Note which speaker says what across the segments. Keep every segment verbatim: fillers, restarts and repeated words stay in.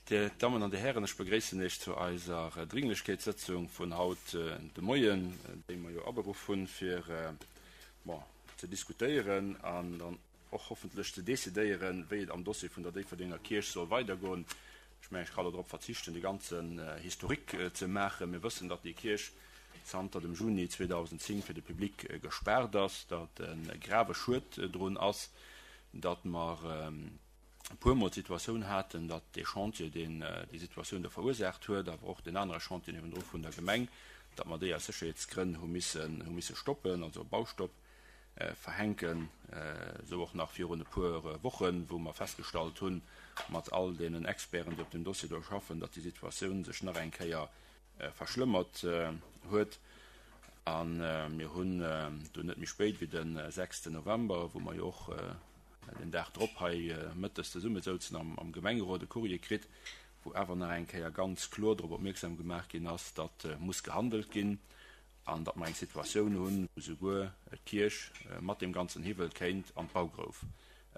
Speaker 1: Dir Dammen an Dir Hären, ech begréissen Iech zu eiser Dringlechkeetssëtzung vun haut de Moien, déi mer jo aberuff hunn, fir, bon, ze diskutéieren an dann och hoffentlech ze decidéieren, wéi et am Dossier vun der Déifferdenger Kierch soll weidergoen. Ech mengen, ech ka elo drop verzichten, de ganzen Historique ze maachen. Mir wëssen, datt déi Kierch zanter dem Juni zweedausendzéng fir de Public gespaart ass, datt e grave Schued drun ass, datt mer e puermol d'Situatioun haten, datt dee Chantier, deen déi Situatioun do verursaacht huet, awer och deen anere Chantier niewendru vun der Gemeng, datt mer déi aus Sécherheetsgrënn hu missen, hu misse stoppen, also e Baustopp verhänken, esou och nach virun e puer Wochen, wou mer festgestallt hunn, mat all deenen Experten, déi op deem Dossier do schaffen, datt déi Situatioun sech nach eng Kéier verschlëmmert huet. A mir hunn dunn net méi spéit wéi de sechsten November, wou mer jo och den Dag drop hei mëttes zesummesouzen am Gemengerot, e Courrier kritt, wou awer nach eng Kéier ganz kloer drop opmierksam gemaach ginn ass, datt muss gehandelt ginn an datt mer eng Situatioun hunn, wou souguer d'Kierch mat deem ganzen Hiwwel kéint an d'Baugrouf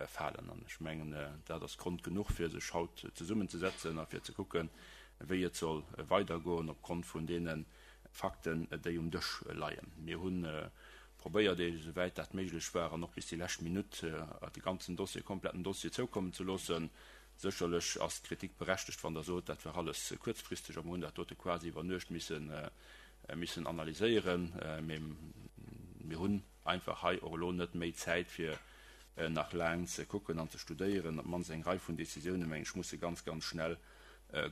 Speaker 1: falen. An ech mengen, dat ass Grond genuch, fir sech haut zesummenzesetzen a fir ze kucken, wéi et soll weidergoen opgrond vun deene Fakten, déi um Dësch leien. Mir hu probéiert, esouwäit dat méiglech war an och bis déi lescht Minutt, de ganzen Dossier, kompletten Dossier zoukommen ze loossen. Sécherlech ass d'Kritik berechtegt, wann Der sot, dat war alles kuerzfristeg a mer hunn dat dote quasi iwwer Nuecht missen, missen analyséieren. Mee mir hunn einfach hei och elo net méi Zäit, fir nach laang ze kucken an ze studéieren. Op d'mannst eng Rei vun Décisiounen, meng ech, musse ganz, ganz schnell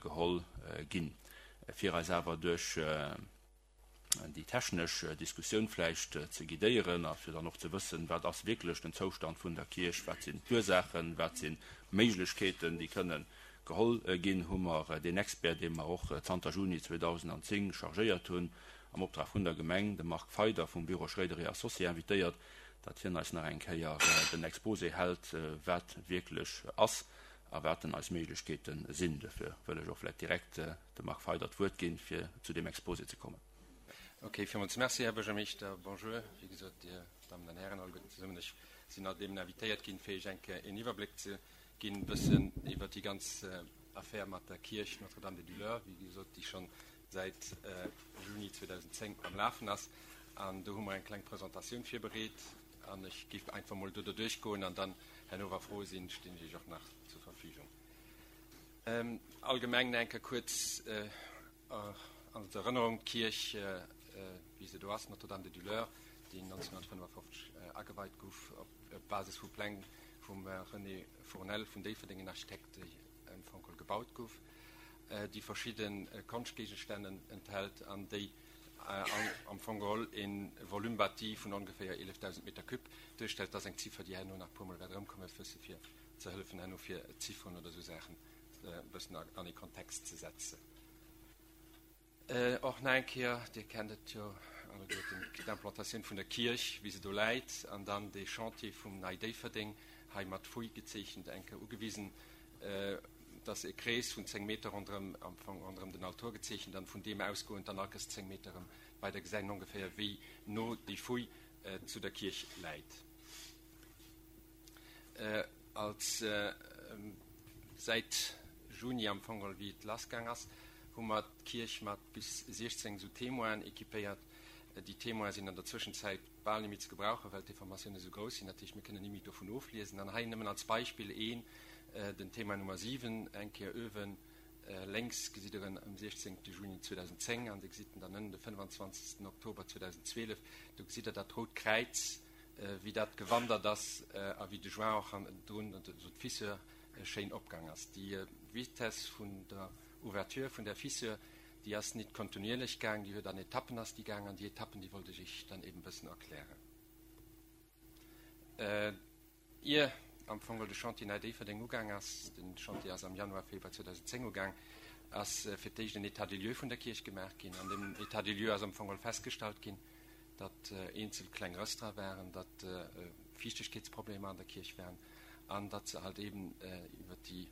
Speaker 1: geholl ginn, fir eis awer duerch déi technesch Diskussioun vläicht ze guidéieren a fir dann och ze wëssen, wat ass wierklech den Zoustand vun der Kierch, wat sinn d'Ursaachen, wat si Méiglechkeeten, déi kënne geholl ginn, hu mer deen Expert, dee mer och zanter Juni zweedausenanzéng chargéiert hunn, am Optrag vun der Gemeng, de Marc Feider vum Büro Schroeder et Associés invitéiert, datt hien eis nach eng Kéier den Exposé hält, wat wierklech ass a wat denn eis Méiglechkeete sinn. Duerfir wëll ech och vläicht direkt dem Marc Feider d'Wuert ginn, fir zu deem Exposé ze kommen.
Speaker 2: Ok, villmools Merci, Här Buergermeeschter. Bonjour, wéi gesot, Dir Dammen an Hären alleguerten zesummen. Ech sinn alt eben invitéiert ginn, fir Iech eng Kéier een Iwwerbléck ze ginn, e bëssen iwwert déi ganz Affär mat der Kierch Notre-Dame des Douleurs, wéi gesot, déi schonn säit Juni zweedausendzéng am Lafen ass. An do hu mer eng kleng Presentatioun virbereet an ech géif einfach mol do derduerch goen an dann herno, wa Froe sinn, stinn ech Iech och nach zur Verfügung. Allgemeng nach eng Kéier kuerz an Erënnerung, d'Kierch, wéi se do ass, Notre-Dame des Douleurs, déi nonzénhunnertfënnefafofzeg ageweit gouf op Basis vu Pläng vum René Fournel vun Déifferdeng, en Architekt, déi am Fong geholl gebaut gouf, déi verschidde Konschtgéigestänn enthält an déi am Fong geholl e Volume bâti vun ongeféier eelefdausend Meter cube duerstellt. Dat ass eng Ziffer, déi herno nach e puermol wäert erëmkommen, e bësse fir ze hëllefen herno fir Zifferen oder esou Saachen e bëssen an ee Kontext ze setzen. Och nach eng Kéier, Dir kennt et jo alleguerten, d'Implantatioun vun der Kierch, wéi se do läit, an dann dee Chantier vum Nei Déifferdeng, hei mat Fouille gezeechent, eng Kéier ugewisen. Et ass e Krees vun zéng Meter ronderëm, am Fong ronderëm den Altor gezeechent, an vun deem ausgoend dann allkes zéng Meter erëm weider gesäit een ongeféier, wéi no déi Fouille zu der Kierch läit. Als säit Juni am Fong geholl, wéi et lassgaang ass, hu mer d'Kierch mat bis siechzéng esou Témoinen équipéiert. Déi Témoine sinn an der Zwëschenzäit bal net méi ze gebrauchen, well d'Informatiounen esou grouss sinn. Dat heescht, mir kënnen ni méi dovun ofliesen. An hei nëmmen als Beispill een, den Témoin Nummer siwen, eng Kéier uewen lénks gesitt Der en um siechzéngte Juni zweedausendzéng an Dir gesitt en dann ënnen de fënnefenzwanzegsten Oktober zweedausendzwielef. Do gesitt Der dat rout Kräiz, wéi dat gewandert ass a wéi de Joint och hannendrun, also d'Fissure, schéin opgaang ass. Déi Vitesse vun der Ouverture vun der Fissure, déi ass nit kontinuierlech gaang, déi huet an Etappen ass déi gaang an déi Etappen, déi wollt ech Iech dann eben e bëssen erklären. Ier am Fong de Chantier Nei Déifferdeng ugaang ass, de Chantier ass am Januar, Februar zweedausendzéng ugaang, ass fir d'éischt en État des lieux vun der Kierch gemaach ginn. An deem État des lieux ass am Fong festgestallt ginn, datt eenzel kleng Rëss dra waren, datt Fiichtegkeetsproblemer an der Kierch waren an datt se halt eben iwwer déi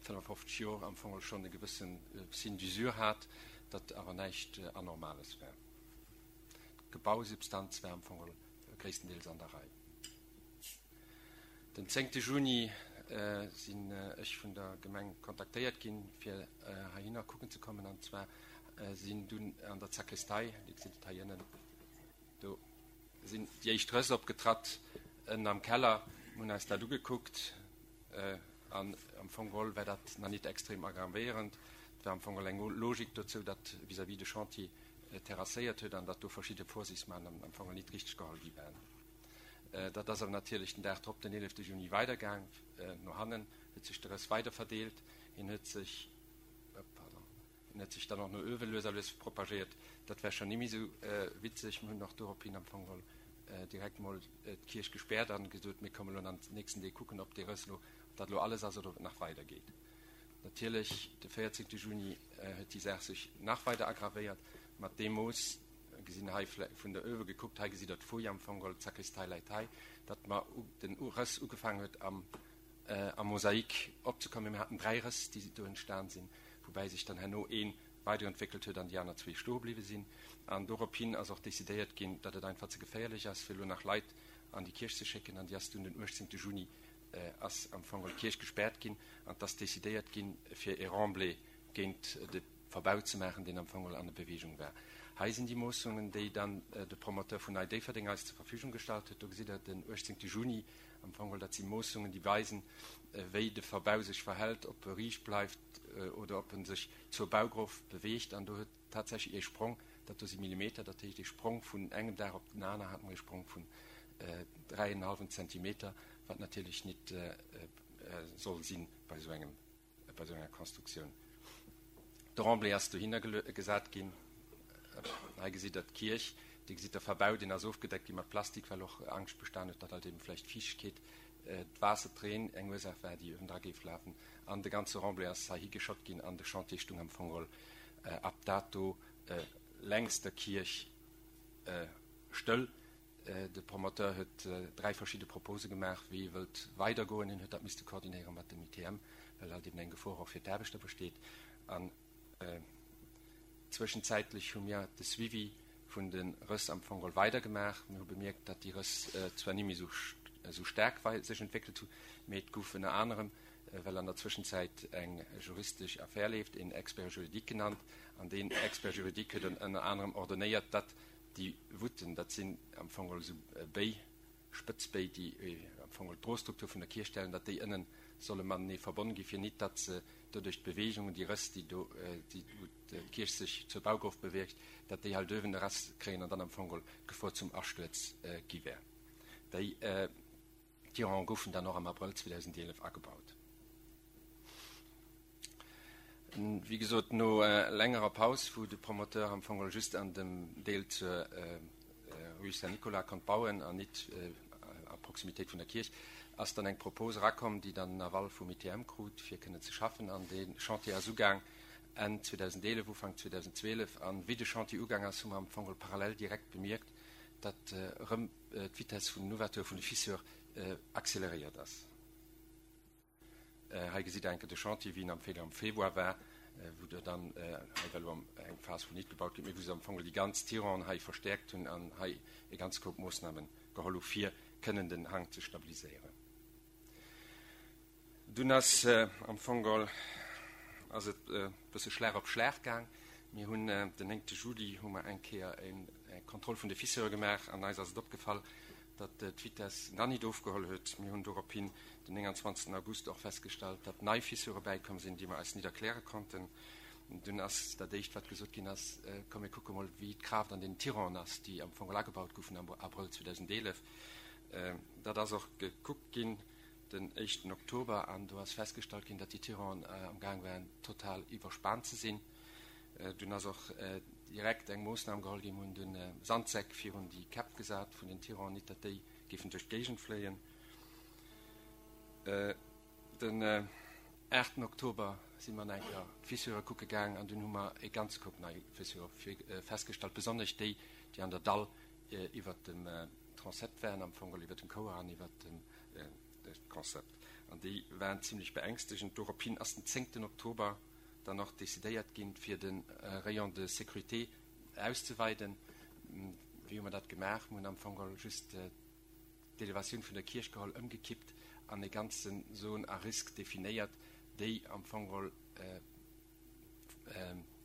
Speaker 2: fënnefafofzeg Jor am Fong schonn e gewësse Signe d'usure hat, datt awer näischt Anormales war. D'Gebausubstanz war am Fong gréisstendeels an der Rei. Den zéngte Juni sinn ech vun der Gemeng kontaktéiert ginn, fir heihinner kucken ze kommen. An zwar sinn dunn an der Sakristei, Dir gesitt et hei ënnen, do sinn déi éischt Rëss opgetratt ënnen am Keller. Mir hunn eis dat ugekuckt an am Fong geholl war dat nach nit extrem aggravéierend. Et war am Fong geholl eng Logik dozou, datt vis-à-vis de Chantier terrasséiert huet an datt do verschidde Vorsichtsmaßnahmen am Fong geholl nit richteg geholl gi waren. Dat ass awer natierlech den Dag drop, den eelefte Juni, weidergaang. No hannen huet sech de Rëss weider verdeelt. Hien huet sech, pardon, hien huet sech dann och no uewe lues a lues propagéiert. Dat war schonn ni méi esou witzeg. Mir hunn och dorophin am Fong geholl direkt mol d'Kierch gespäert an gesot, mir komme lo an den nächsten Deeg kucken, ob dee Rëss lo, ob dat lo alles ass oder ob et nach weidergeet. Natierlech, de véierzéngte Juni huet déi Saach sech nach weider aggravéiert. Mat deem Mooss, gesinn hei vun der uewe gekuckt, hei gesitt Der d'Folie am Fong geholl, d'Sakristei läit hei, datt mer den Rëss ugefaangen huet am am Mosaik opzekommen. Mir haten dräi Rëss, déi do entstan sinn, woubäi sech dann herno ee weiderentwéckelt huet an déi aner zwee stoe bliwwe sinn. An dorophin ass och decidéiert ginn, datt et einfach ze geféierlech ass, fir elo nach Leit an déi Kierch ze schécken. An déi ass dunn den uechtzéngte Juni ass am Fong d'Kierch gespäert ginn an et ass decidéiert ginn, fir ee Remblai géint de Verbau ze maachen, deen am Fong an der Beweegung war. Hei sinn déi Moossungen, déi dann de Promoteur vun Nei Déifferdeng eis zur Verfügung gestallt huet. Do gesitt Der den uechtzéngte Juni am Fong. Dat si Moossungen, déi weisen, wéi de Verbau sech verhält, ob e riicht bleift oder ob e sech zur Baugrof beweegt. An do huet tatsächlech ee Sprong, dat do si Millimeter, dat heescht ee Sprong vun engem Dag op den aner hat mer ee Sprong vun dräi en hallwen Zentimeter, wat natierlech nit soll sinn bei esou engem, bei esou enger Konstruktioun. De Remblai ass dohinner gesat ginn. Hei gesitt Der d'Kierch, Dir gesitt de Verbau, deen ass ofgedeckt gi mat Plastik, well och Angscht bestan huet, datt halt eben vläicht d'Fiichtegkeet, d'Waasser, d'Reen eng Ursaach war, déi uewendra géif lafen. An de ganze Remblai ass heihi geschott ginn an de Chantier stung am Fong geholl ab dato längs der Kierch stëll. De Promoteur huet dräi verschidde Propose gemaach, wéi e wëllt weidergoen. Hien huet dat misste koordinéiere mat dem I T M, well halt eben eng Gefor och fir d'Aarbechter besteet. An zwëschenzäitlech hu mir de Suivi vun de Rëss am Fong geholl weidergemaach. Mir hu bemierkt, datt déi Rëss zwar ni méi esou staark sech entwéckelt hu, mee et gouf ënner anerem, well an der Zwëschenzäit eng juristesch Affär leeft, een Expert juridique genannt. An deen Expert juridique huet ënner anerem ordonnéiert, datt déi Voûten, dat sinn am Fong geholl esou Béi, spëtz Béi, déi am Fong geholl d'Drostruktur vun der Kierch stellen, datt déi ënnen solle matenee verbonn gi fir nit datt se doduerch d'Beweegungen, déi Rëss, déi do, déi wou d'Kierch sech zur Baugrof beweegt, datt déi halt uewen e Rëss kréien an dann am Fong geholl d'Gefor zum Astuerz gi wär. Déi Tirants goufen dann och am Abrëll zweedausendeelef agebaut. Wéi gesot, no längerer Paus, wou de Promoteur am Fong just an dem Deel zur Rue Saint-Nicolas konnt bauen an nit a Proximitéit vun der Kierch, ass dann eng Propose erakomm, déi dann den Aval vum I T M krut, fir kënnen ze schaffen. An de Chantier ass ugaang Enn zweedausendeelef, Ufank zweedausendzwielef. An wéi de Chantier ugaang ass, hu mer am Fong parallel direkt bemierkt, datt erëm d'Vitesse vun den Ouverture vun de Fissure acceleréiert ass. Hei gesitt Der enke de Chantier, wéi en am Februar am Februar war, wou der dann, hei war elo eng Phas, wou nit gebaut gëtt, mee wou se am Fong déi ganz Tiranten hei verstäerkt hunn an hei e ganz Koup Moossname geholl hu fir kënnen den Hank ze stabiliséieren. Dunn ass am Fong geholl ass et e bësse Schlag op Schlag gaang. Mir hunn den néngte Juli hu mer eng Kéier eng Kontroll vun de Fissure gemaach an eis ass et opgefall, datt d'Vitess nach nit ofgeholl huet. Mir hunn dorophin den nénganzwanzegsten August och festgestallt, datt nei Fissure bäikomm sinn, déi mer eis nit erkläre konnten. Dunn ass dat éischt, wat gesot ginn ass, Komm mir kucke mol, wéi d'Kraaft an den Tiranten ass, déi am Fong agebaut goufen am Abrëll zweedausendeelef. Dat ass och gekuckt ginn den éischten Oktober an do ass festgestallt ginn, datt déi Tiranten am Gaang waren, total iwwerspaant ze sinn. Dunn ass och direkt eng Moossnam geholl ginn, mir hunn dunn Sandsäck virun déi Käpp gesat vun den Tiranten, nit datt déi géifen duerch d'Géigend fléien. Den aachten Oktober si mer nach eng Kéier d'Fissure kucke gaang an dunn hu mer e ganze Koup nei Fissure festgestallt, besonnesch déi, déi an der Dall iwwert dem Transept waren, am Fong iwwert dem Chouer an iwwert dem Transept. An déi waren zimlech beängstegend. Dorophin ass den zéngten Oktober dann och decidéiert ginn, fir de Rayon de sécurité auszeweiden. Wéi hu mer dat gemaach? Mir hunn am Fong geholl just d'Elevatioun vun der Kierch geholl, ëmgekippt an e ganzen Zone à risque definéiert, déi am Fong geholl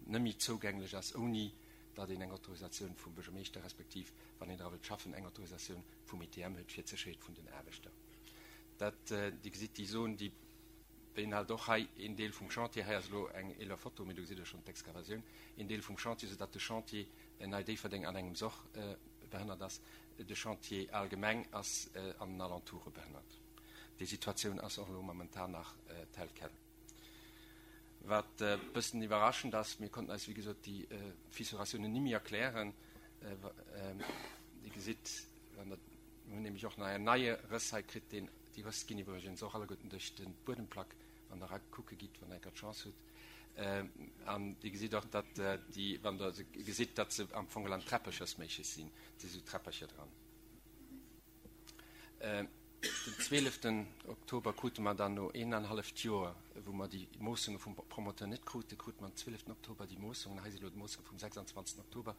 Speaker 2: net méi zougänglech ass, ouni datt een eng Autorisatioun vum Buergermeeschter respektiv, wann een dra wëllt schaffen, eng Autorisatioun vum I T M huet fir d'Sécherheet vun den Aarbechter. Dat, Dir gesitt déi Zon, déi beinhalt och hei een Deel vum Chantier. Hei ass elo eng eeler Foto, mee do gesitt Der schonn d'Excavatioun, een Deel vum Chantier, soudatt de Chantier Nei Déifferdeng an engems och behënnert ass. De Chantier allgemeng ass an den Alentoure behënnert. Déi Situatioun ass och elo momentan nach tel quel. Wat e bëssen iwwerraschend ass, mir konnten eis wéi gesot déi Fissuratiounen ni méi erklären. Dir gesitt, wann Der, mir hunn nämlech och nach en neie Rëss hei kritt, deen, déi Rëss ginn iwwregens och alleguerten duerch de Buedemplack, wann Der erakucke gitt, wann Der eng Kéier d'Chance hutt. An Dir gesitt och, datt déi, wann Der se gesitt, datt se am Fong an Träpperchersméiches sinn, et si sou Träppercher dran. Den zwieleften Oktober krute mer dann no een an halleft Joer, wou mer déi Moossunge vum Promoteur net kruten, krute mer am zwieleften Oktober déi Moossungen. Hei si elo d'Moossunge vum sechsandzwanzegsten Oktober.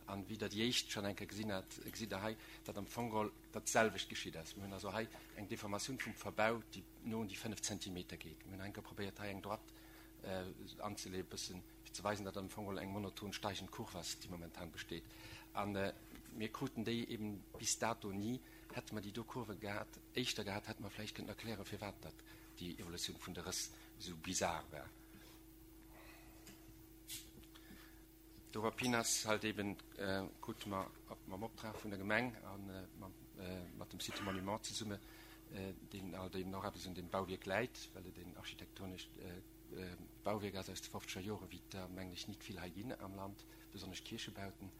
Speaker 2: An wéi Der déi éischt schonn eng Kéier gesinn hat, gesitt Der hei, datt am Fong geholl dat selwecht geschitt ass. Mir hunn also hei eng Deformatioun vum Verbau, déi no un déi fënnef Zentimeter geet. Mir hunn eng Kéier probéiert, hei eng Droite anzeleeën, e bëssen, fir ze weisen, datt am Fong geholl eng monoton steigend Kurv ass, déi momentan besteet. A mir kruten déi eben bis dato ni. Hätte mer déi do Kurve gehat, éischter gehat, hätte mer vläicht kënnen erklären, firwat datt déi Evolutioun vun de Rëss esou bizar war. Dorophin ass halt eben, krute mer mam Optrag vun der Gemeng a mat dem Site Monument zesumme, deen halt eben och eppes un deem Bauwierk läit, well et een architektonescht Bauwierk ass aus de fofzeger Joren, wéi et der, mengen ech, nit vill hei ginn am Land, besonnesch Kierchebauten,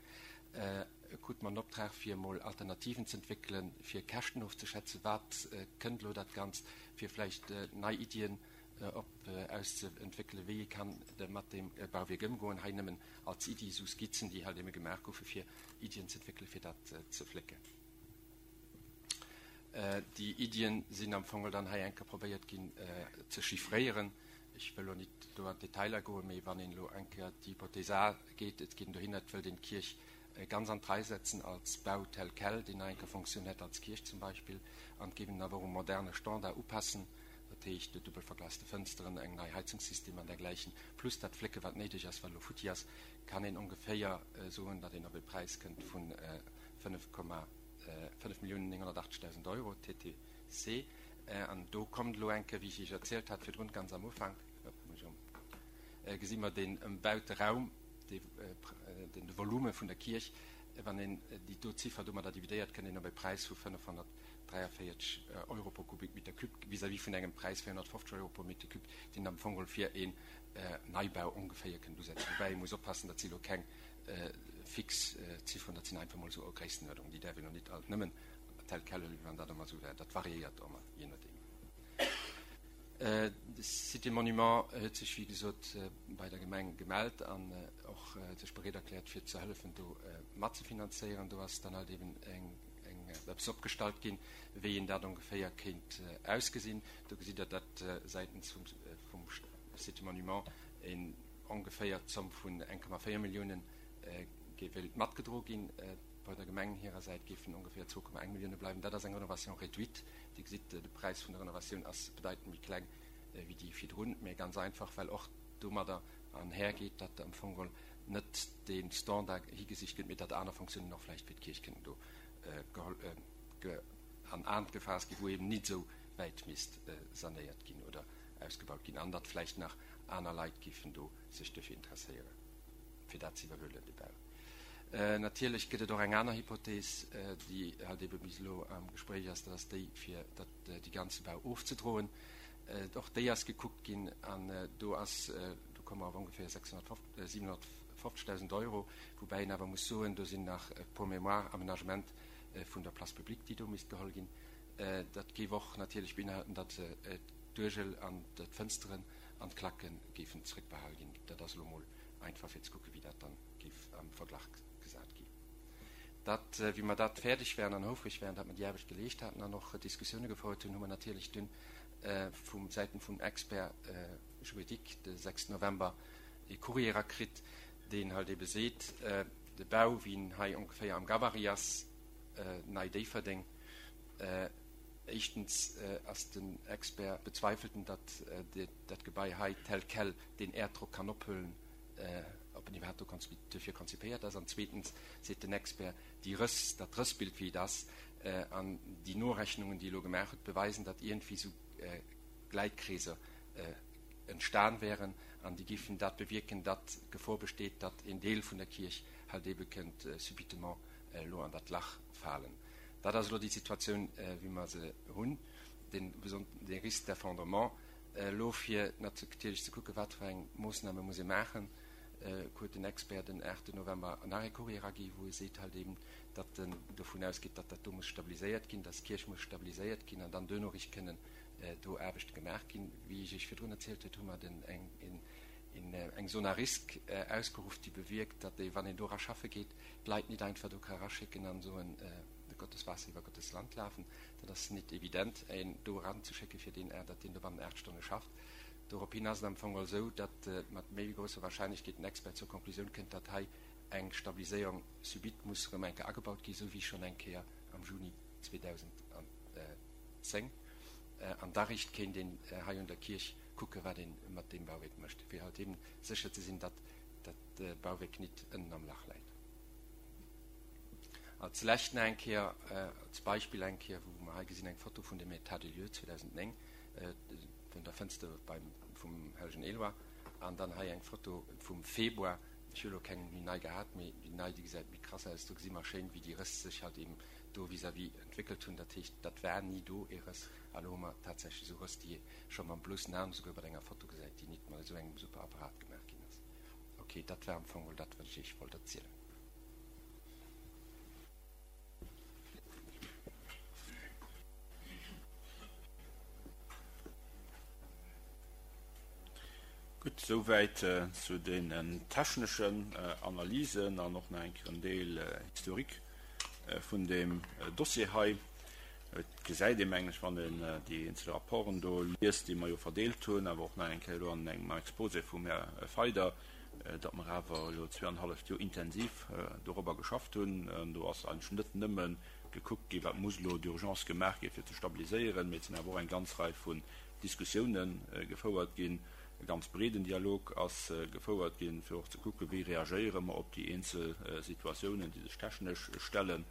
Speaker 2: krute mer den Optrag, fir emol Alternativen ze entwéckelen, fir Käschten ofzeschätzen, wat kënnt elo dat Ganzt, fir vläicht nei Iddien op auszeentwéckelen, wéi ee kann mat deem Bauwierk ëmgoen. Hei nëmmen als Iddi esou Skizzen, déi halt ebe gemaach goufe fir Iddien ze entwéckelen, fir dat ze flécken. Déi Iddien sinn am Fong dann hei eng Kéier probéiert ginn ze chiffréieren. Ech wëll elo nit do an d'Detailer goen, mee wann een elo eng Kéier d'Hypothèse A geet, et geet een dohinner, et wëllt een d'Kierch ganz an d'Rei setzen als Bau tel quel, deen nach eng Kéier Fonctioun hätt als Kierch zum Beispill, an et géif een en awer och um moderne Standard upassen, dat heescht duebel verglaste Fënsteren, eng nei Heizungssystem an dergläichen, plus dat Flécke wat néideg ass, wat elo futti ass, kann een ongeféier soen, datt een op e Präis kënnt vu fënnef Komma fënnef Milliounen nénghonnertachtzegdausend Euro T T C. An do kommt elo eng Kéier, wéi ech Iech erzielt hat virdrun, ganz am Ufank, gesi mer deen ëmbaute Raum, de Volume vun der Kierch, wann een déi do Ziffer domadder dividéiert, kënnt een op e Präis vu fënnefhonnertdräiavéierzeg Euro pro Kubikmeter cube vis-à-vis vun engem Präis véierhonnertfofzeg Euro pro Meter cube, deen am Fong geholl fir een Neibau ongeféier kënnt usetzen. Woubäi ee muss oppassen, dat si elo keng fix Zifferen, dat sinn einfach mol esou Gréisstenuerdnungen, déi däerf een och nit alt nëmmen tel quel huelen, wéi wann dat ëmmer esou wär. Dat variéiert ëmmer, jee nodeem. De Cité Monument huet sech, wéi gesot, bei der Gemeng gemellt an och sech bereet erkläert, fir ze hëllefen, do matzefinanzéieren. Do ass dann halt eben eng, eng, eppes opgestallt ginn, wéi een dat ongeféier kéint ausgesinn. Do gesitt Der, datt säitens vum, vum Cité Monument een ongeféier d'Zomm vun eng Komma véier Milliounen wéilt matgedro ginn. Bei der Gemeng hirer Säit géifen ongeféier zwou Komma eng Millioune bleiwen. Dat ass eng Renovation réduite. Dir gesitt, de Präis vun der Renovatioun ass bedeitend méi kleng wéi déi virdrun, mä ganz einfach, well och domadder anhergeet, datt am Fong geholl net dee Standard higesicht gëtt, mee datt aner Fonctiounen och vläicht fir d'Kierch kënnen do an An gefaasst ginn, wou eben nit esou wäit misst sanéiert ginn oder ausgebaut ginn, an datt vläicht nach aner Leit géifen do sech duerfir interesséieren, fir dat ze iwwerhuelen, de Bau. Natierlech gëtt et och eng aner Hypothees, déi halt ebe bis elo am Gespréich ass, dat ass déi, fir dat dee ganze Bau ofzedroen. Och déi ass gekuckt ginn an do ass, do komme mer op ongeféier sechshonnertfofzeg, siwenhonnertfofzegdausend Euro, woubäi een awer muss soen, do sinn nach pour mémoire Aménagement vun der Place publique, déi do misst geholl ginn. Dat géif och natierlech beinhalten, datt d'Uergel an d'Fënsteren an d'Klacke géifen zrëckbehal ginn. Dat ass elo mol einfach fir ze kucken, wéi dat dann géif am Verglach gesat ginn. Dat, wéi mer dat fäerdeg wären an houfreg wären, datt mer déi Aarbecht geleescht haten an och Diskussioune gefouert hunn, hu mer natierlech dunn vum Säiten vum Expert juridique de sechsten November ee Courrier erakritt, deen halt ebe seet, de Bau, wéi en hei ongeféier am Gabarit ass, Nei Déifferdeng, Éischtens ass den Expert, bezweifelt en, datt dat Gebai hei tel quel deen Äerddrock kann ophuelen, ob en iwwerhaapt do duerfir konzipéiert ass. An zweetens seet den Expert, déi Rëss, dat Rëssbild wéi et ass, an déi Norechnungen, déi e elo gemaach huet, beweisen, datt iergendwéi esou Gläitkreeser entstan wären an déi géifen dat bewierken, datt d'Gefor besteet, datt een Deel vun der Kierch halt eebe kënnt subitement elo an dat Lach falen. Dat ass elo déi Situatioun, wéi mer se hunn, dee dee Risque d'effondrement. Elo fir natierlech ze kucken, wat fir eng Moossname muss ee maachen, huet den Expert den aachte November nach ee Courrier eragi wou e seet halt eben, datt en dovun ausgeet, datt dat do muss stabiliséiert ginn, datt d'Kierch muss stabiliséiert ginn an dann duerno richt kënnen do Aarbechte gemaach ginn. Wéi ech Iech virdrun erzielt huet, hu mer den eng eng Zone à risque ausgeruff, déi bewierkt, datt ee, wann een do era schaffe geet, d'Leit nit einfach do ka eraschécken an soen, Gottes Waasser iwwer Gottes Land lafen. Dat ass nit evident, een do eranzeschécken, fir deen, datt deen do bannen aacht Stonne schafft. Dorophin ass et am Fong esou, datt mat méi wéi grousser Wahrscheinlechkeet den Expert zur Konklusioun kënnt, datt hei eng Stabiliséierung subite muss erëm eng Kéier agebaut ginn, esou wéi schonn eng Kéier am Juni zweedausendzéng. An da richt kéint een hei un der Kierch kucken, wat ee mat deem Bauwierk mécht, fir halt eben sécher ze sinn, datt dat Bauwierk nit ënnen am Lach läit. Als lescht nach eng Kéier, als Beispill eng Kéier, wou mer hei gesinn eng Foto vun dem État des lieux zweedausendzéng, vun der Fënster beim, vum Hellegen Éloi, an dann hei eng Foto vum Februar. Ech hu elo keng méi nei gehat, mee déi nei, déi gesäit méi krass aus. Do gesi mer schéin, wéi déi Rëss sech halt eben do vis-à-vis entwéckelt hunn. Dat heescht, dat war ni do ee Rëss, a lo hu mer tatsächlech esou Rëss, déi ee scho mam bloussen Aen, esouguer bei enger Foto gesäit, déi nit mat esou engem super Apparat gemaach ginn ass. Ok, dat war am Fong mol dat, wat ech Iech wollt erzielen.
Speaker 1: Gutt, souwäit zu deenen techneschen Analysen an och nach eng Kéier en Deel Historique vun deem Dossier hei. Et gesäit ee, mengen ech, wann een déi eenzel Rapporten do liest, déi mer jo verdeelt hunn, awer och nach eng Kéier elo an engem Exposé vum Här Feider, datt mer awer elo zwee an e halleft Joer intensiv dorobber geschafft hunn. An do ass eigentlech net nëmme gekuckt ginn, wat muss elo d'urgence gemaach ginn, fir ze stabiliséieren, mee et sinn awer och eng ganz Rei vun Diskussiounen gefouert ginn. E ganz breeden Dialog ass gefouert ginn, fir och ze kucken, wéi reagéiere mer op déi eenzel Situatiounen, déi sech technesch stellen,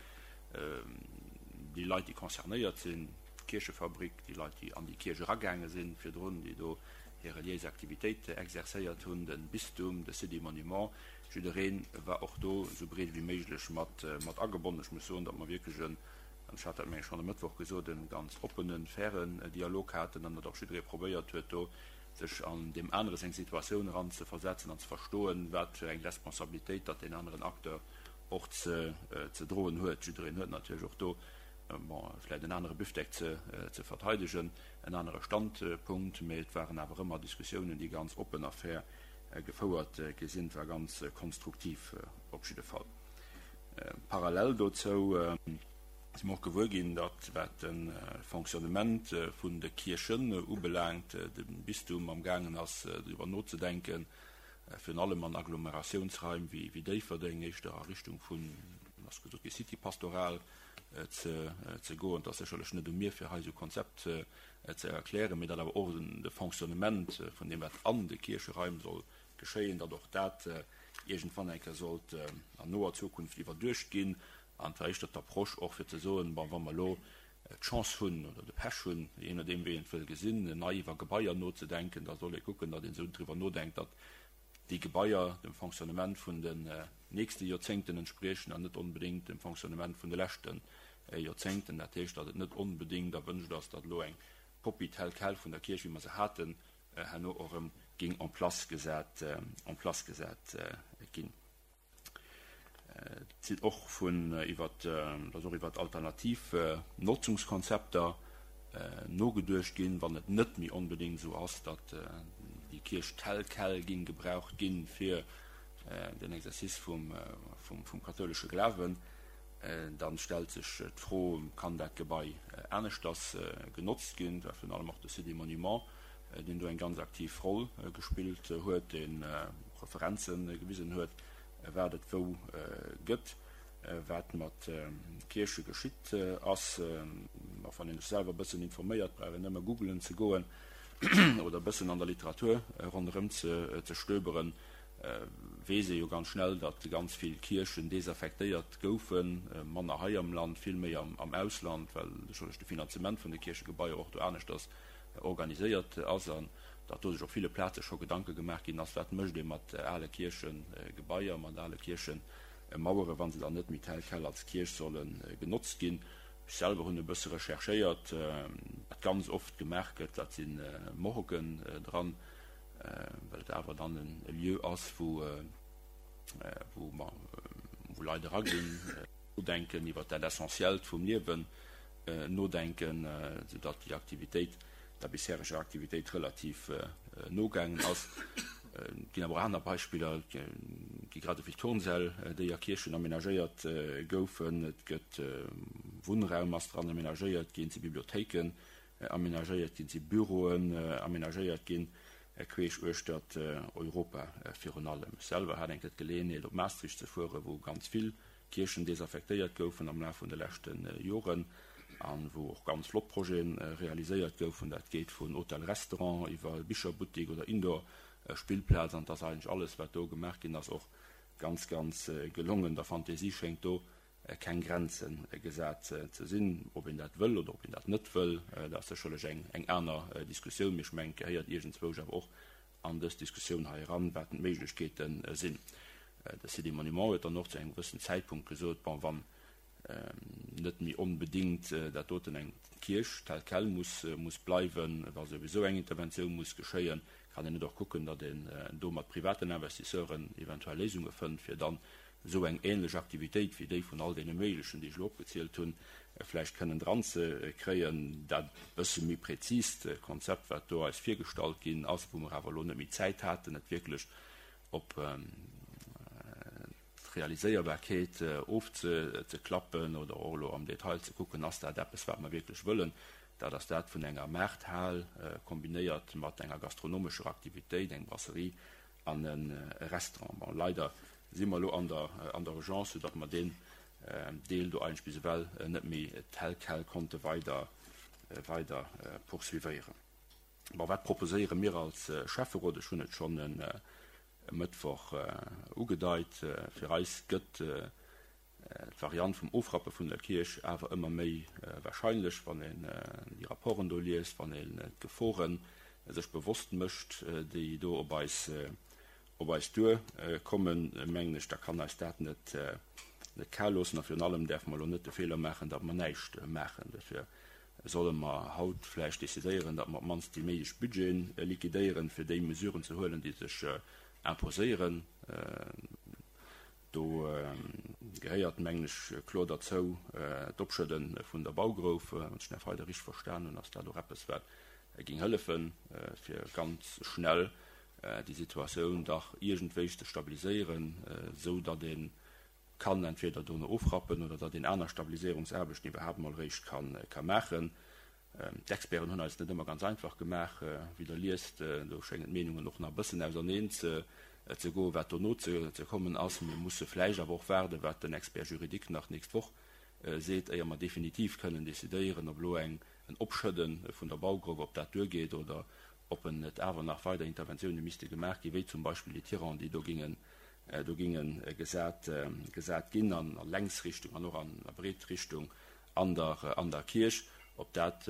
Speaker 1: déi Leit, déi concernéiert sinn, d'Kierchefabrik, déi Leit, déi an déi Kierch eragaange sinn virdrun, déi do hir reliéis Aktivitéit exerzéiert hunn, de Bistum, de Site des Monuments, jidderee war och do esou breet wéi méiglech mat agebonnen. Ech muss soen, datt mer wierklech en, an ech hat dat, meng ech, schonn e Mëttwoch gesot, e ganz oppenen, fairen Dialog haten an datt och jidderee probéiert huet, do sech an deem anere seng Situatioun eran ze versetzen an ze verstoen, wat fir eng Responsabilitéit datt deen aneren Acteur och ze ze droen huet. Jiddereen huet natierlech och do, bon, vläicht en anere Büftek ze ze verteidegen, en anere Standpunkt, mee et waren awer ëmmer Diskussiounen, déi ganz oppen a fair gefouert gi sinn. Et war ganz konstruktiv op jidde Fall. Parallel dozou si mer och gewuer ginn, datt, wat de Fonctionnement vun de Kierchen ubelaangt, de Bistum amgaangen ass, driwwer nozedenken, virun allem an Agglomeratiounsraim wéi Déifferdeng, éischter a Richtung vun, ass gesot gi, City pastoral ze goen. Et ass sécherlech net u mir, fir hei esou e Konzept ze erklären, mee datt awer och de Fonctionnement vun deem, wat an de Kiercheraim soll geschéien, datt och dat iergendwann eng Kéier sollt an noer Zukunft iwwerduecht ginn. An et war éischter d'Approche och fir ze soen, bon, wa mer elo d'Chance hunn oder de Pech hunn, jee nodeem wéi een et wëll gesinn, nei iwwer Gebaier nozedenken, da soll ee kucken, datt een esou driwwer nodenkt, datt déi Gebaier dem Fonctionnement vun den nächste Joerzéngten entspriechen an net onbedéngt dem Fonctionnement vun de leschte Joerzéngten. Dat heescht, datt et net onbedéngt erwünscht ass, datt elo eng Kopie telle quelle vun der Kierch, wéi mer se haten, herno och erëm géing en place gesat, en place gesat ginn. Et sinn och vun iwwer, et ass och iwwer alternativ Notzungskonzepter nogeduecht ginn, wann et net méi onbedéngt esou ass, datt déi Kierch tel quel géing gebraucht gi fir den Exercice vum, vum kathoulesche Glawen. Dann stellt sech d'Fro, Kann dat Gebai aneschters genotzt ginn? Et war virun allem och de Site des Monuments, deen do eng ganz aktiv Roll gespillt huet, dee Referenze gewisen huet, wat et wou gëtt, wat mat Kierche geschitt ass. Wann een sech selwer e bëssen informéiert, brauch een nëmme googelen ze goen oder e bëssen an der Literatur ronderëm ze stöberen, weess ee jo ganz schnell, datt ganz vill Kierchen desaffektéiert goufen, manner hei am Land, vill méi am Ausland, well sécherlech de Finanzement vun de Kierchegebaier och do aneschters organiséiert ass an datt do sech op ville Plaze scho Gedanke gemaach ginn ass, wat mécht ee mat ale Kierchegebaier, mat ale Kierchemauere wa se dann net méi tel quel als Kierch solle genotzt ginn. Ech selwer hunn e bësse recherchéiert, wat ganz oft gemaach gëtt, dat si Morguen dran, well et awer dann e Lieu ass, wou wou Leit eraginn, nodenken, iwwer dat Essentiellt vum Liewen nodenken, soudatt déi Aktivitéit der bishereger Aktivitéit relativ nogaangen ass. Et ginn awer och aner Beispiller, et gi grad esou vill Turnsäll, déi a Kierchen amenagéiert goufen, et gëtt Wunnraum ass dran amenagéiert ginn, et si Bibliothéiken amenagéiert ginn, et si Büroen amenagéiert ginn, queesch uechtert Europa virun allem. Ech selwer hat eng Kéier d'Geleeënheet op Maastricht ze fueren, wou ganz vill Kierchen desaffektéiert goufen am Laf vun de leschte Joren an wou och ganz flott Projete realiséiert goufen. Dat geet vun Hotel-Restaurant iwwer Bicherbuttik oder Indoor-Spillplaz an et ass eigentlech alles, wat do gemaach ginn ass, och ganz, ganz gelongen. Der Fantasie schéngt do keng Grenze gesat ze sinn. Ob een dat wëll oder ob een dat net wëll, dat ass sécherlech eng aner Diskussioun, mee ech mengen, et gehéiert iergendzwousch awer och an dës Diskussioun hei eran, wat d'Méiglechkeete sinn. De Site des Monuments huet dann och zu engem gewëssen Zäitpunkt gesot, bon, wann net méi onbedéngt dat doten eng Kierch tel quel muss muss bleiwen, wa souwisou eng Interventioun muss geschéien, kann een net och kucken, datt een do mat privaten Investisseuren eventuell Léisunge fënnt, fir dann esou eng ähnlech Aktivitéit wéi déi vun all deene méiglechen, déi ech elo opgezielt hunn, vläicht kënnen dranzekréien. Dat bësse méi präzist Konzept, wat do eis virgestallt ginn ass, wou mer awer elo net méi Zäit haten, et wierklech op d'Realiséierbarkeet ofzeklappen oder och elo am Detail ze kucken, ass dat eppes, wat mer wierklech wëllen. Dat ass dat vun enger Maarthal kombinéiert mat enger gastronomescher Aktivitéit, eng Brasserie an e Restaurant. Bon, leider si mer elo an der an der Urgence, soudatt mer deen Deel do eigentlech bis ewell net méi tel quel konnte weider weider poursuivéieren. Bon, wat proposéiere mir als Schäfferot? Ech hunn et schonn e Mëttwoch ugedeit. Fir eis gëtt d'Variant vum Ofrappe vun der Kierch awer ëmmer méi warscheinlech, wann een déi Rapporten do liest, wann een d'Gefore sech bewosst mécht, déi do op eis op eis duer kommen, mengen ech, da kann eis dat net net kal loossen. A virun allem däerfe mer elo net de Feeler maachen, datt mer näischt maachen. Dofir solle mer haut vläicht decidéieren, datt mer op d'mannst déi méiglech Budgeten liquidéieren, fir déi Mesuren ze huelen, déi sech imposéieren. Do gehéiert, mengen ech, kloer derzou d'Opschëdde vun der Baugrouf. Wann ech den Här Feider richteg verstan hunn, ass dat och eppes, wat géing hëllefen, fir ganz schnell déi Situatioun dach iergendwéi ze stabiliséieren, esou datt ee kann entweder dono ofrappen oder datt een aner Stabiliséierungsaarbechten iwwerhaapt emol eréischt ka maachen. D'Experten hunn eis et net ëmmer ganz einfach gemaach. Wéi Der liest, do schéngen d'Meenungen och nach e bëssen auserneen ze goen, wat dono ze kommen ass. Mir musse vläicht awer och waarden, wat den Expert juridique nach d'nächst Woch seet, éier mer definitiv kënnen decidéieren, ob elo en Opschëdde vun der Baugrouf, ob dat duergeet oder ob en net awer nach weider Interventioune misste gemaach ginn, wéi zum Beispill déi Tirang, déi do gingen do ginge gesat gesat ginn an a Längsrichtung an och an a Breetrichtung an der an der Kierch, ob dat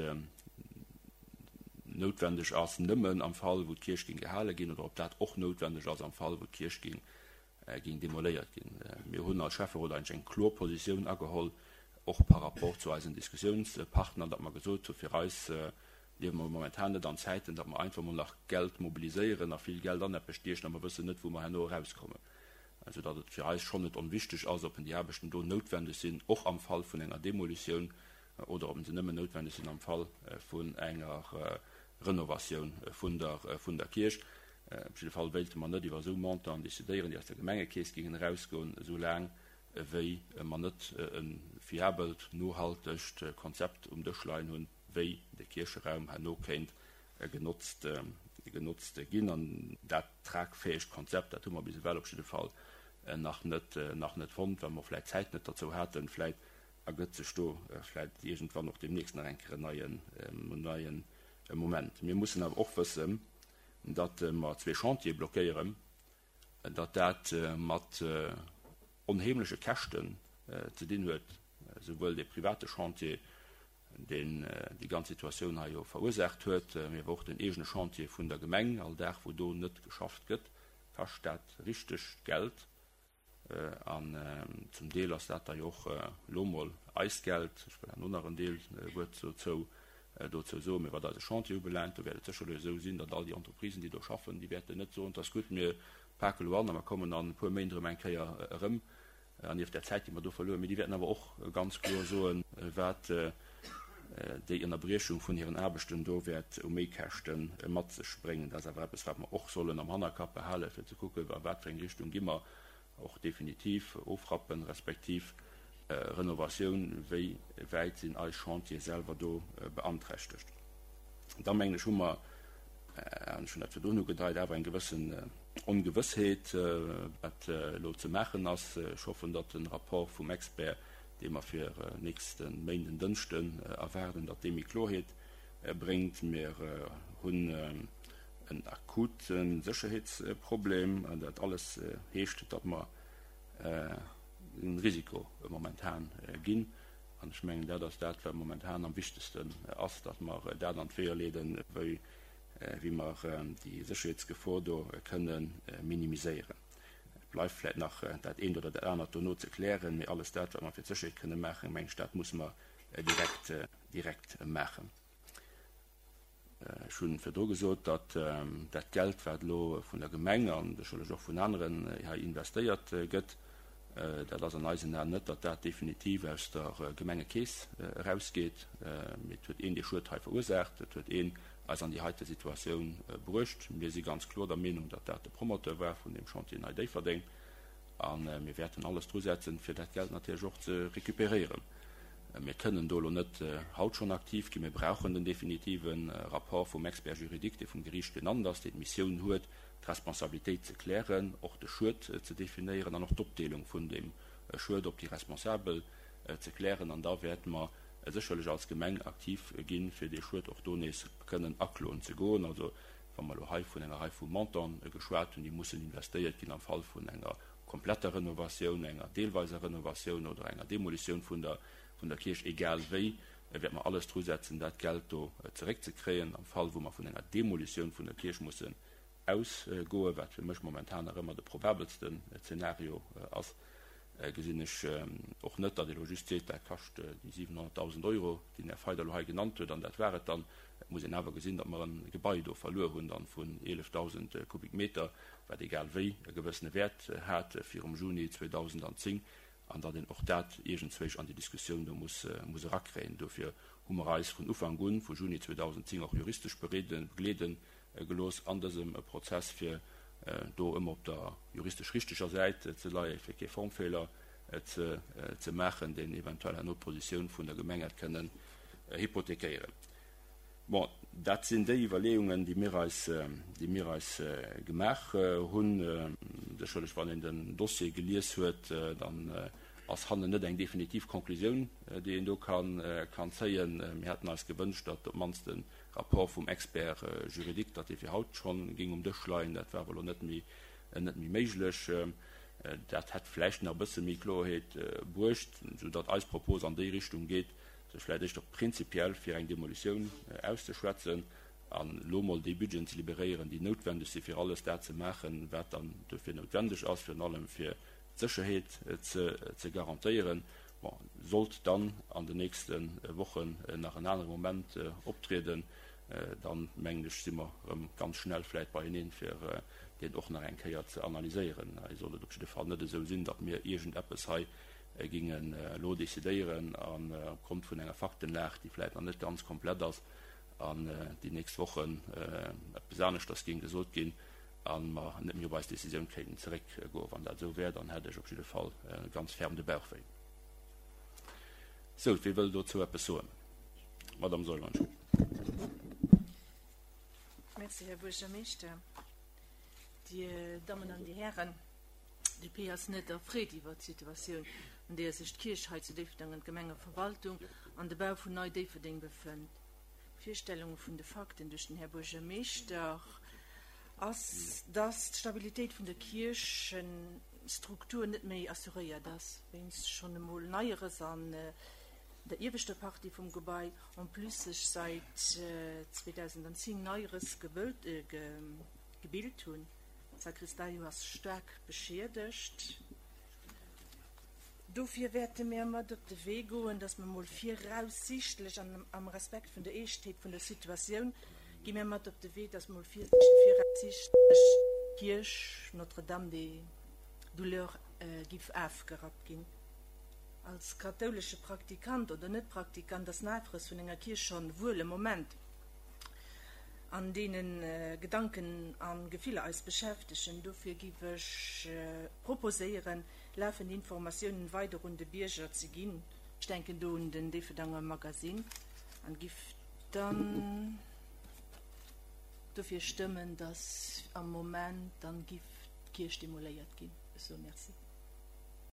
Speaker 1: noutwendeg ass nëmmen am Fall, wou d'Kierch ging gehale ginn, oder ob dat och noutwendeg ass am Fall, wou d'Kierch ging ging demoléiert ginn. Mir hunn als Schäfferot eigentlech eng kloer Positioun ageholl, och par rapport zu eisen Diskussiounspartner, datt mer gesot hu fir eis liewe mer momentan net an Zäiten, datt mer einfach mol nach Geld mobiliséieren a vill Geld an eppes stiechen a mer wëssen net, wou mer herno erauskommen, soudatt et fir eis schonn net onwichtig ass, ob déi Aarbechten do noutwendeg sinn, och am Fall vun enger Demolitioun, oder ob se nëmmen noutwendeg sinn am Fall vun enger Renovatioun vun der vun der Kierch. Op jidde Fall wéilte mer net iwwer esou Montanten decidéieren, déi aus der Gemengekeess géingen erausgoen, esou laang wéi mer net e fiabelt, nohaltegt Konzept um Dësch leien hunn, wéi de Kiercheraum herno kéint genotzt genotzt ginn. An dat tragfäegt Konzept, dat hu mer bis ewell op jidde Fall nach net nach net fonnt, well mer vläicht d'Zäit net derzou haten. Vläicht ergëtt sech do vläicht iergendwann och deemnächst nach eng Kéier en neien, en neien Moment. Mir mussen awer och wëssen, datt mer zwee Chantiere blockéieren, datt dat mat onheemleche Käschten ze dinn huet, souwuel dee private Chantier, deen déi ganz Situatioun hei jo verursaacht huet, mee awer och den eegene Chantier vun der Gemeng. All Dag, wou do net geschafft gëtt, kascht dat richteg Geld. An zum Deel ass dat da jo och elo mol eist Geld. Ech wëll herno nach en Deel Wuert dozou dozou soen. Mee wat eise Chantier ubelaangt, do wäert et sécherlech esou sinn, datt all déi Entreprisen, déi do schaffen, déi wäerten net soen, 't ass gutt, mir pake elo an a mer kommen an e puer Méint erëm eng Kéier erëm. An nieft där Zäit, déi mer do verluer hunn, mee déi wäerten awer och ganz kloer soen, wat déi Ënnerbriechung vun hiren Aarbechten do wäert u Méikäschte mat sech bréngen. Dat ass awer eppes, wat mer och sollen am Hannerkapp behalen, fir ze kucken, a wat fir eng Richtung gi mer och definitiv ofrappen, respektiv Renovatioun, wéi wäit sinn eis Chantiere selwer do beanträchtegt. Da mengen ech, hu mer, an ech hunn dat virdrun ugedeit, awer eng gewëssen Ongewëssheet, wat elo ze maachen ass. Ech hoffen, datt de Rapport vum Expert, dee mer fir nächste Méinden, Dënschden erwaarden, datt dee méi Kloerheet bréngt. Mir hunn en akute Sécherheetsproblem. Dat alles heescht, datt mer en Risiko momentan ginn. An ech mengen, dat ass dat, wat momentan am wichtegsten ass, datt mer dat an d'Weeër leeden, wéi wéi mer déi Sécherheetsgefor do kënne minimiséieren. Et bleift vläicht nach dat eent oder dat anert dono ze klären, mee alles dat, wat mer fir d'Sécherheet kënne maachen, meng ech, dat musse mer direkt, direkt maachen. Ech hu virdru gesot, datt dat Geld, wat elo vun der Gemeng a sécherlech och vun aneren hei investéiert gëtt, dat ass an eisen Aen net, datt dat definitiv aus der Gemengekeess erausgeet. Mee et huet een dee Schued hei verursaacht, et huet een eis an déi heite Situatioun bruecht. Mir si ganz kloer der Meenung, datt dat de Promoteur war vun deem Chantier Nei Déifferdeng. A mir wäerten alles drusetzen, fir dat Geld natierlech och ze recuperéieren. Mir kënnen do elo net haut schonn aktiv ginn. Mir brauchen den definitive Rapport vum Expert juridique, dee vum Geriicht genannt ass, dee d'Missioun huet, d'Responsabilitéit ze klären, och de Schued ze definéieren an och d'Opdeelung vun deem Schued op déi Responsabel ze klären. An da wäerte mer sécherlech als Gemeng aktiv ginn, fir dee Schued och do nees kënnen akloen ze goen. Also, wa mer elo hei vun enger Rei vu Montantë geschwat hunn, déi mussen investéiert ginn am Fall vun enger kompletter Renovatioun, enger deelweiser Renovatioun oder enger Demolitioun vun der vun der Kierch, egal wéi, wäerte mer alles drusetzen, dat Geld do zeréckzekréien. Am Fall, wou mer vun enger Demolitioun vun der Kierch mussen ausgoen, wat fir mech momentan nach ëmmer de probabelsten Zeenario ass, gesinn ech och net, datt ee elo just seet, dat kascht déi siwenhonnertdausend Euro, déi den Här Feider elo hei genannt huet, an dat war et dann. Et muss een awer gesinn, datt mer e Gebai do verluer hunn dann vun eelefdausend Kubikmeter, wat egal wéi e gewëssene Wäert hat virum Juni zweedausendanzéng, an datt een och dat iergendzwéich an déi Diskussioun do muss muss erakréien. Dofir hu mer eis vun Ufank un, vu Juni zweedausendzéng, och juristesch bereeden, begleede gelooss an dësem Prozess, fir do ëmmer op der juristesch richteger Säit ze leien, fir kee Formfeeler ze ze maachen, deen eventuell herno d'Positioun vun der Gemeng hätt kënnen hypothekéieren. Bon, dat sinn déi Iwwerleeungen, déi mir eis, déi mir eis gemaach hunn. Sécherlech, wann een den Dossier gelies huet, dann ass hannen net eng definitiv Konklusioun, déi een do kann, kann zéien. Mir hätten eis gewënscht, datt op d'mannst de Rapport vum Expert juridique, datt dee fir haut schonn géing um Dësch leien. Dat war awer elo net méi, net méi méiglech. Dat hätt vläicht nach e bësse méi Kloerheet bruecht, soudatt eis Propos an déi Richtung geet, sech vläicht éischter prinzipiell fir eng Demolitioun auszeschwätzen an elo mol déi Budgeten ze liberéieren, déi noutwendeg si fir alles dat ze maachen, wat dann dofir noutwendeg ass, virun allem fir d'Sécherheet ze garantéieren. Bon, sollt dann an den nächste Wochen nach en anere Moment optrieden, dann, mengen ech, si mer erëm ganz schnell vläicht beieneen, fir deen och nach eng Kéier ze analyséieren. Hei sollt et op jidde Fall net esou sinn, datt mir iergendeppes hei gingen elo decidéieren an opgrond vun enger Faktenlag, déi vläicht nach net ganz komplett ass, an déi nächst Wochen eppes aneschters géing gesot ginn a mer net méi op eis Décisioun kéinten zeréckgoen. Wann dat esou wär, dann hätt ech op jidde Fall ganz ferm de Bauch wéi. Sou, wie wëll dozou eppes soen? Madame Seuler, Entschuldigung.
Speaker 3: Merci, Här Buergermeeschter. Dir Dammen an Dir Hären, D P ass net erfreet iwwer d'Situatioun, an deeër sech d'Kierch hei zu Déifferdeng an d'Gemengeverwaltung an de Bau vun Nei Déifferdeng befënnt. D'Virstellung vun de Fakten duerch den Här Buergermeeschter ass, dass d'Stabilitéit vun der Kierchenstruktur net méi assuréiert ass, wéinst schonn emol Neierëss an der ieweschter Partie vum Gebai, en plus sech säit zweedausendzéng nei Rëss gebilt hunn. D'Sakristei ass staark beschiedegt. Dofir wäerte mir mat op de Wee goen, dass mer mol viraussichtlech, an am Respekt vun der Eeschtheet vun der Situatioun, gi mir mat op de Wee, dass mol viraussichtlech d'Kierch Notre-Dame des Douleurs giff afgerappt ginn. Als kathoulesche Praktikant oder Net-Praktikant ass den Afrëss vun enger Kierch schonn wuel e Moment, an deene Gedanken a Gefiller eis beschäftegen. Dofir giff ech proposéieren, lafend Informatiounen weider un de Bierger ze ginn, ech denken do un den Déifferdanger Magazine, an giff dann dofir stëmmen, dass am Moment dann giff d'Kierch demoléiert ginn. Ech soe Merci.